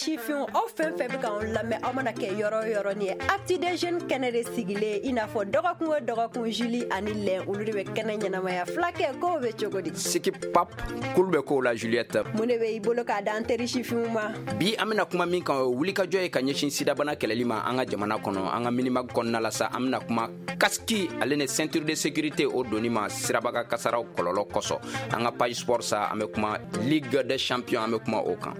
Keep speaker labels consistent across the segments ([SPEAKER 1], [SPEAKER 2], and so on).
[SPEAKER 1] Sifinw, aw fɛn fɛn bɛ k'anw lamɛn, aw mana kɛ yɔrɔ o yɔrɔ, nin ye Actu des Jeunes kɛnɛ de sigilen. I n'a fɔ dɔgɔkun o dɔgɔkun, Julie ani Lɛn, olu de bɛ kɛnɛ ɲɛnamaya. Fulakɛ, kow bɛ cogo di?
[SPEAKER 2] Siki pap, kulu bɛ kow la, Juliette.
[SPEAKER 1] Mun de bɛ i bolo k'a d'an teri sifinw ma?
[SPEAKER 2] Bi, an bɛna kuma min kan, o ye wulikajɔ ye ka ɲɛsin sidabana kɛlɛli ma an ka jamana kɔnɔ. An ka Minimag kɔnɔna la sa, an bɛna kuma casque ale ni ceinture de sécurité, o donni ma sirabaga kasaraw kɔlɔlɔ kosɔn. An ka page sport sa, an bɛ kuma Ligue des champions, an bɛ kuma o kan.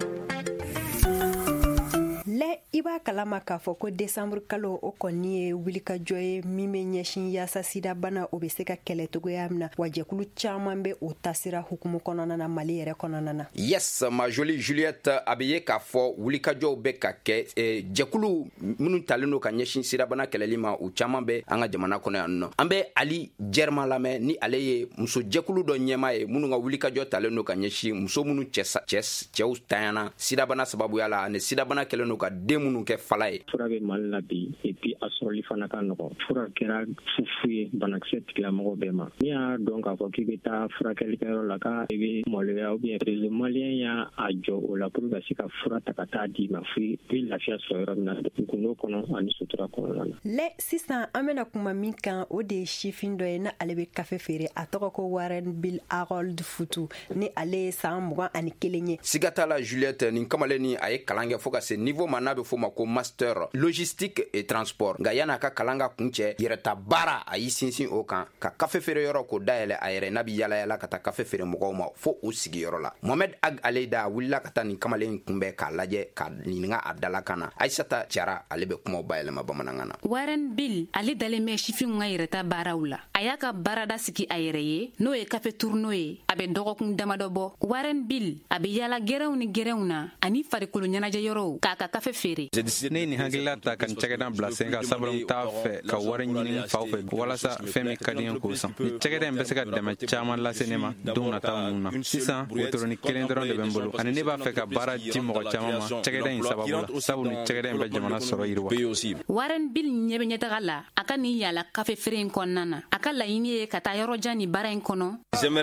[SPEAKER 1] Lɛ, i b'a kalama k'a fɔ ko desanburu kalo, o kɔni ye wulikajɔ ye min bɛ ɲɛsin yaasa sidabana o bɛ se ka kɛlɛ cogoya min na. Wa jɛkulu caman bɛ o tasira hukumu kɔnɔna na, Mali yɛrɛ kɔnɔna na.
[SPEAKER 2] Yes, ma jolie Juliette, a bɛ ye k'a fɔ wulikajɔw bɛ ka kɛ. Jɛkulu minnu talen don ka ɲɛsin sidabana kɛlɛli ma, u caman bɛ an ka jamana kɔnɔ yan nɔ. An bɛ Ali Jɛrima lamɛn, ni ale ye muso jɛkulu dɔ ɲɛmaa ye minnu ka wulikajɔ talen don ka ɲɛsin muso minnu cɛw tanyana sidabana sababuya la, ani sidabana kɛlen don ka den minnu kɛ fala ye.
[SPEAKER 3] Fura bɛ Mali la bi, et puis a sɔrɔli fana ka nɔgɔn. Fura kɛra fufu ye banakisɛ tigilamɔgɔ bɛɛ ma. N'i y'a dɔn k'a fɔ k'i bɛ taa furakɛlikɛyɔrɔ la, k'a i bɛ maloya ou bien Réseau malien y'a jɔ o la pour ka se ka fura ta ka taa d'i ma fo i bɛ lafiya sɔrɔ yɔrɔ min na, gundo kɔnɔ ani sutura kɔnɔna na.
[SPEAKER 1] Lɛ, sisan an bɛna kuma min kan, o de ye sifin dɔ ye na ale bɛ kafe feere. A tɔgɔ ko Warren Bill Harold Futu, ni ale ye san 21 ye.
[SPEAKER 2] Siga t'a la, Juliette, nin kamalen ni a ye kalan kɛ fo ka se niveau ma n'a bɛ f'o ma ko master logistique et transport. Nka yan'a ka kalan ka kuncɛ, yɛrɛta baara, a y'i sinsin o kan ka kafe feere yɔrɔ k'o dayɛlɛ a yɛrɛ, n'a bɛ yala yala ka taa kafe feere mɔgɔw ma fo u sigiyɔrɔ la. Mohamed Ag Aleyda wulila ka taa nin kamalen kunbɛn k'a lajɛ, k'a ɲininka a dalakan na. Aisata Jara, ale bɛ kumaw bayɛlɛma bamanankan na.
[SPEAKER 4] Warren Bill, ale dalen bɛ sifinw ka yɛrɛta baaraw la. A y'a ka baarada sigi a yɛrɛ ye, n'o ye kafe tourneau ye, a bɛ dɔgɔkun damadɔ bɔ. Warren Bill, a bɛ yala gɛrɛnw ni gɛrɛnw na ani farikolo ɲɛnajɛ yɔrɔw k'a ka kafe feere.
[SPEAKER 5] Ne ye nin hakilila ta ka nin cakɛda bila sen kan, sabula n t'a fɛ ka wari ɲini faw fɛ walasa fɛn min ka di n ye k'o san. Nin cakɛda in bɛ se ka dɛmɛ caman lase ne ma don nataw ninnu na. Sisan, wotoronin kelen dɔrɔn de bɛ n bolo, ani ne b'a fɛ ka baara di mɔgɔ caman ma cakɛda in sababu la, sabu nin cakɛda in bɛ jamana sɔrɔ yiriwa.
[SPEAKER 4] Warren Bill ɲɛ bɛ ɲɛtaga la a ka nin yala kafe feere in kɔnɔna na. A ka laɲini ye ka taa yɔrɔ jan nin baara in kɔnɔ.
[SPEAKER 5] A tun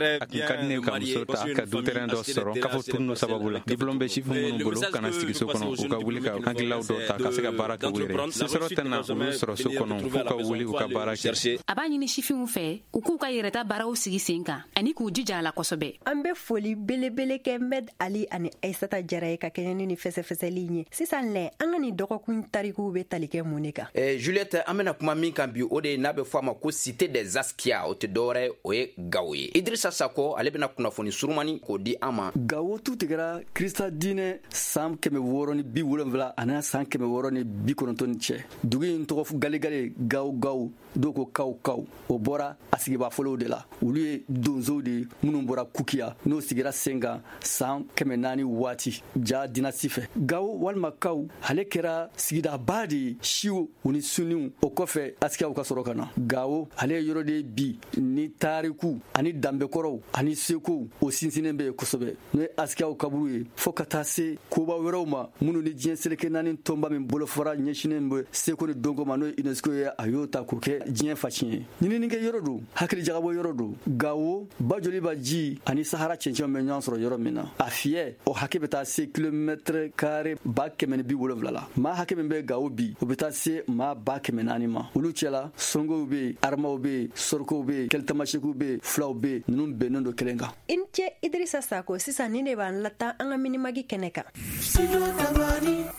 [SPEAKER 5] ka di ne ka muso ta, ka dutɛrɛn dɔ sɔrɔ kafe tourneau sababu la. Diplôme bɛ sifin minnu bolo kana sigi so kɔnɔ, u ka wuli ka hakililaw dɔw ta ka se ka baara kɛ u yɛrɛ ye. Sesɔrɔ tɛna olu sɔrɔ so kɔnɔ, f'u ka wuli u ka baara kɛ.
[SPEAKER 4] A b'a ɲini sifinw fɛ u k'u ka yɛrɛta baaraw sigi sen kan ani k'u jija a la kosɛbɛ.
[SPEAKER 1] An bɛ foli belebele kɛ Med Ali ani Aisata Jara ye ka kɛɲɛ ni nin fɛsɛfɛsɛli in ye. Sisan lɛ, an ka nin dɔgɔkun tarikuw bɛ tali kɛ mun de kan?
[SPEAKER 2] Juliette, an bɛna kuma min kan bi, o de ye n'a bɛ fɔ a ma ko Cité des Askia. O tɛ dɔwɛrɛ, o ye Gawo ye. Idrissa Sako, ale bɛna kunnafoni surumani k'o di an ma.
[SPEAKER 6] Gawo tu tigɛra Krista diinɛ san 670 ani san 690 cɛ. Dugu in tɔgɔ galegale, Gawo Gawo, dɔw ko Kaw Kaw, o bɔra a sigibaa fɔlɔw de la. Olu ye donsow de ye minnu bɔra Kukiya, n'o sigira sen kan san 400 waati Ja dynastie fɛ. Gawo walima Kaw, ale kɛra sigidaba de ye siw u ni suniw. O kɔfɛ, askiyaw ka sɔrɔ ka na. Gawo, ale ye yɔrɔ de ye bi ni tariku ani danbekɔrɔw ani sekow, o sinsinnen bɛ yen kosɛbɛ, n'o ye askiyaw kaburu ye, fo ka taa se koba wɛrɛw ma minnu ni diɲɛ seleke naani tɔnba min bolofara ɲɛsinnen bɛ seko ni dɔnko ma, n'o ye UNESCO ye, a y'o ta k'o kɛ diɲɛ faciyɛn ye. Ɲininikɛ yɔrɔ don, hakili jagabɔ yɔrɔ don. Gawo, Bajoliba ji ani Sahara cɛncɛnw bɛ ɲɔgɔn sɔrɔ yɔrɔ min na, a fiyɛ o hakɛ bɛ taa se kilomɛtɛrɛ kare 170 la. Maa hakɛ min bɛ Gawo bi, o bɛ taa se maa 400 000 ma. Olu cɛla, songow bɛ yen, aramaw bɛ yen, sɔrɔkow bɛ yen, kɛlitamasekiw bɛ yen, fulaw bɛ yen. Ninnu bɛnnen don kelen kan.
[SPEAKER 1] I ni ce, Idrissa Sako. Sisan nin de b'an lataa an ka Minimag kɛnɛ kan.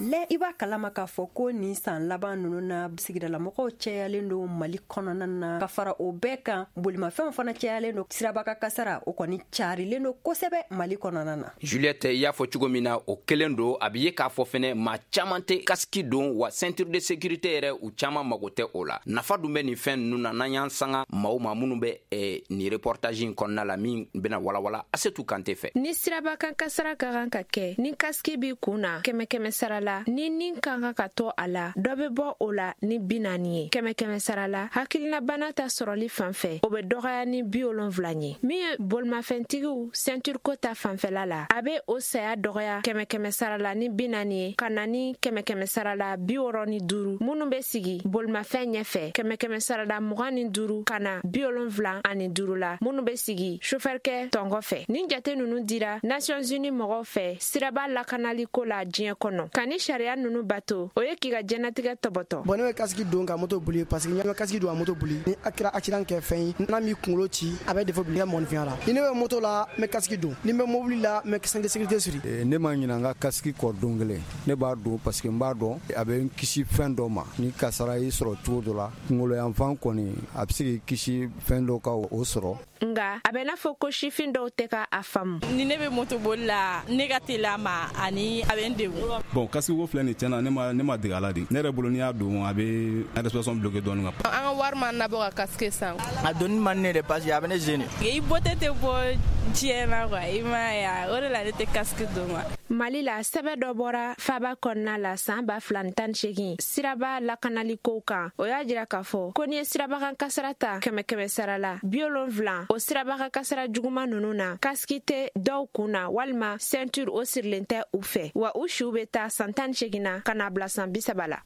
[SPEAKER 1] Lɛ, i b'a kalama k'a fɔ ko nin san laban ninnu na, sigidalamɔgɔw cayalen don Mali kɔnɔna na. Ka fara o bɛɛ kan, bolimafɛnw fana cayalen don. Sirabaka kasara, o kɔni carilen don kosɛbɛ Mali kɔnɔna na.
[SPEAKER 2] Juliette, i y'a fɔ cogo min na, o kelen don. A bɛ ye k'a fɔ fɛnɛ, maa caman tɛ casque don, wa ceinture de sécurité yɛrɛ, u caman mago tɛ o la. Nafa dun bɛ nin fɛn ninnu na. N'an y'an sanga maaw ma minnu bɛ nin reportage in kɔnɔna la, min bɛna walawala Asetu Kante fɛ.
[SPEAKER 7] Ni sirabakan kasara ka kan ka kɛ, ni casque b'i kun na, kɛmɛ kɛmɛ sara la, ni Ni nin ka kan ka to a la, dɔ bɛ bɔ o la ni 40 ye. 100 sara la, hakilinabana ta sɔrɔli fan fɛ, o bɛ dɔgɔya ni 70 ye. Min ye bolimafɛntigiw ceinture ko ta fanfɛla la, a bɛ o saya dɔgɔya 100 sara la ni 40 ye, ka na ni 100 sara la 65 minnu bɛ sigi bolimafɛn ɲɛfɛ, 100 sara la 25 ka na 75 la minnu bɛ sigi sofɛrikɛ tɔnkɔ fɛ. Nin jate ninnu dira Nations Unies mɔgɔw fɛ siraba lakanali ko la diɲɛ kɔnɔ. Ka ni sariya ninnu bato, o ye k'i ka diɲɛnatigɛ tɔbɔtɔ.
[SPEAKER 8] Bon, ne bɛ casque don ka moto boli parce que n bɛ casque don ka moto boli, ni a kɛra accident kɛ fɛn ye, n'a m'i kunkolo ci, a bɛ défaut bila i ka mɔgɔninfinya la. Ni ne bɛ moto la, n bɛ casque don. Ni n bɛ mobili la, n bɛ ceinture de sécurité siri.
[SPEAKER 9] Ne ma ɲinɛ n ka casque kɔ don kelen. Ne b'a don parce que n b'a dɔn a bɛ n kisi fɛn dɔ ma. Ni kasara y'i sɔrɔ cogo dɔ la, kunkolo yanfan kɔni a bɛ se k'i kisi fɛn dɔ ka o sɔrɔ.
[SPEAKER 7] Nka a bɛ n'a fɔ ko sifin dɔw tɛ ka a faamu.
[SPEAKER 10] Ni ne bɛ moto boli la, ne ka teli a ma ani a bɛ n degun.
[SPEAKER 11] Bon, casque ko filɛ nin, tiɲɛna ne ma dege a la de. Ne yɛrɛ bolo, n'i y'a don, a bɛ respiration bloqué dɔɔnin.
[SPEAKER 12] An ka wari ma nabɔ ka casque san.
[SPEAKER 13] A donni man ne de parce que a bɛ ne gêner.
[SPEAKER 10] I beauté tɛ bɔ diɲɛ na quoi, i m'a ye, o de la ne tɛ casque don quoi.
[SPEAKER 7] Mali la, sɛbɛn dɔ bɔra faba kɔnɔna la san 2018 siraba lakanali kow kan. O y'a jira k'a fɔ ko n'i ye sirabakan kasara ta 100 sara la, 70 o sirabakan kasara juguman ninnu na, casque tɛ dɔw kun na walima ceinture o sirilen tɛ u fɛ, wa u siw bɛ taa san 18 na ka n'a bila san 30 la.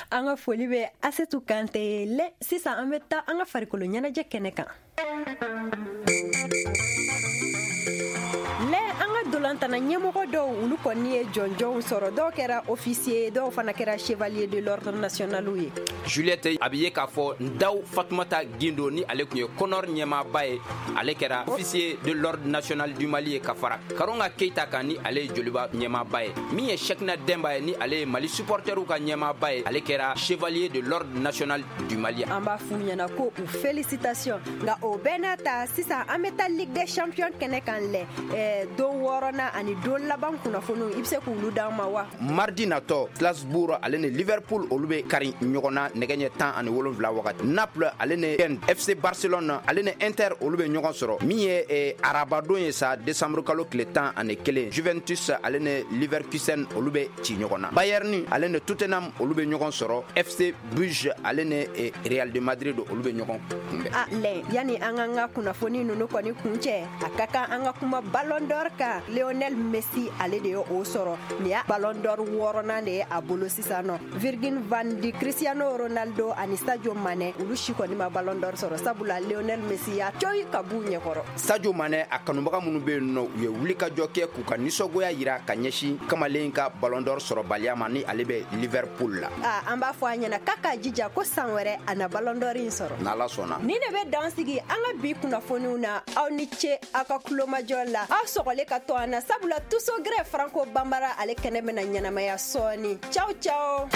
[SPEAKER 1] An ka foli bɛ Asetu Kante ye. Lɛ, sisan an bɛ taa an ka farikolo ɲɛnajɛ kɛnɛ kan. Lɛ, an ka dolantana ɲɛmɔgɔ dɔw, olu kɔni ye jɔnjɔnw sɔrɔ. Dɔw kɛra officier, dɔw fana kɛra chevalier de l'ordre national ye.
[SPEAKER 2] Juliette, a bɛ ye k'a fɔ Ndaw Fatumata Gindo, ni ale tun ye CONOR ɲɛmaaba ye, ale kɛra officier de l'ordre national du Mali ye, ka fara Karonga Keita kan, ni ale ye Joliba ɲɛmaaba ye. Min ye Cheickna Demba ye, ni ale ye Mali supporteriw ka ɲɛmaaba ye, ale kɛra chevalier de l'ordre national du Mali.
[SPEAKER 1] An b'a f'u ɲɛna ko u félicitation. Nka o bɛɛ n'a ta, sisan an bɛ taa Ligue des champions kɛnɛ kan. Lɛ, don wɔɔrɔnan ani don laban kunnafoniw, i bɛ se k'olu d'an ma wa?
[SPEAKER 2] Mardi natɔ, Strasbourg ale ni Liverpool, olu bɛ kari ɲɔgɔn na nɛgɛ ɲɛ 17 wagati. Naples ale ni FC Barcelone ale ni Inter, olu bɛ ɲɔgɔn sɔrɔ. Min ye arabadon ye sa, décembre kalo tile 11, Juventus ale ni Leverkusen, olu bɛ ci ɲɔgɔn na. Bayern ale ni Tottenham, olu bɛ ɲɔgɔn sɔrɔ. FC Bruges ale ni Real de Madrid, olu bɛ ɲɔgɔn kunbɛn.
[SPEAKER 1] A lɛ, yanni an k'an ka kunnafoni ninnu kɔni kuncɛ, a ka kan an ka kuma Ballon d'Or kan. Lionel Messi, ale de ye o sɔrɔ. Nin y'a Ballon d'Or wɔɔrɔnan de ye a bolo sisan nɔ. Virgil van Dijk, Cristiano Ronaldo ani Sadio Mané, olu si kɔni ma Ballon d'Or sɔrɔ, sabula Lionel Messi y'a coyi ka b'u ɲɛkɔrɔ.
[SPEAKER 2] Sadio Mané a kanubaga minnu bɛ yen nɔ, u ye wulikajɔ kɛ k'u ka nisɔngoya yira ka ɲɛsin kamalen ka Ballon d'Or sɔrɔbaliya ma, ni ale bɛ Liverpool la.
[SPEAKER 1] A an b'a fɔ a ɲɛna k'a k'a jija ko san wɛrɛ a na Ballon d'Or in sɔrɔ.
[SPEAKER 2] N'Ala sɔnna.
[SPEAKER 1] Nin de bɛ dan sigi an ka bi kunnafoniw na. Aw ni ce aw ka kulomajɔ la. Aw sɔgɔlen ka to an na, sabula Tuso Gɛrɛ Franco Banbara ale kɛnɛ bɛna ɲɛnamaya sɔɔni. Ciao ciao.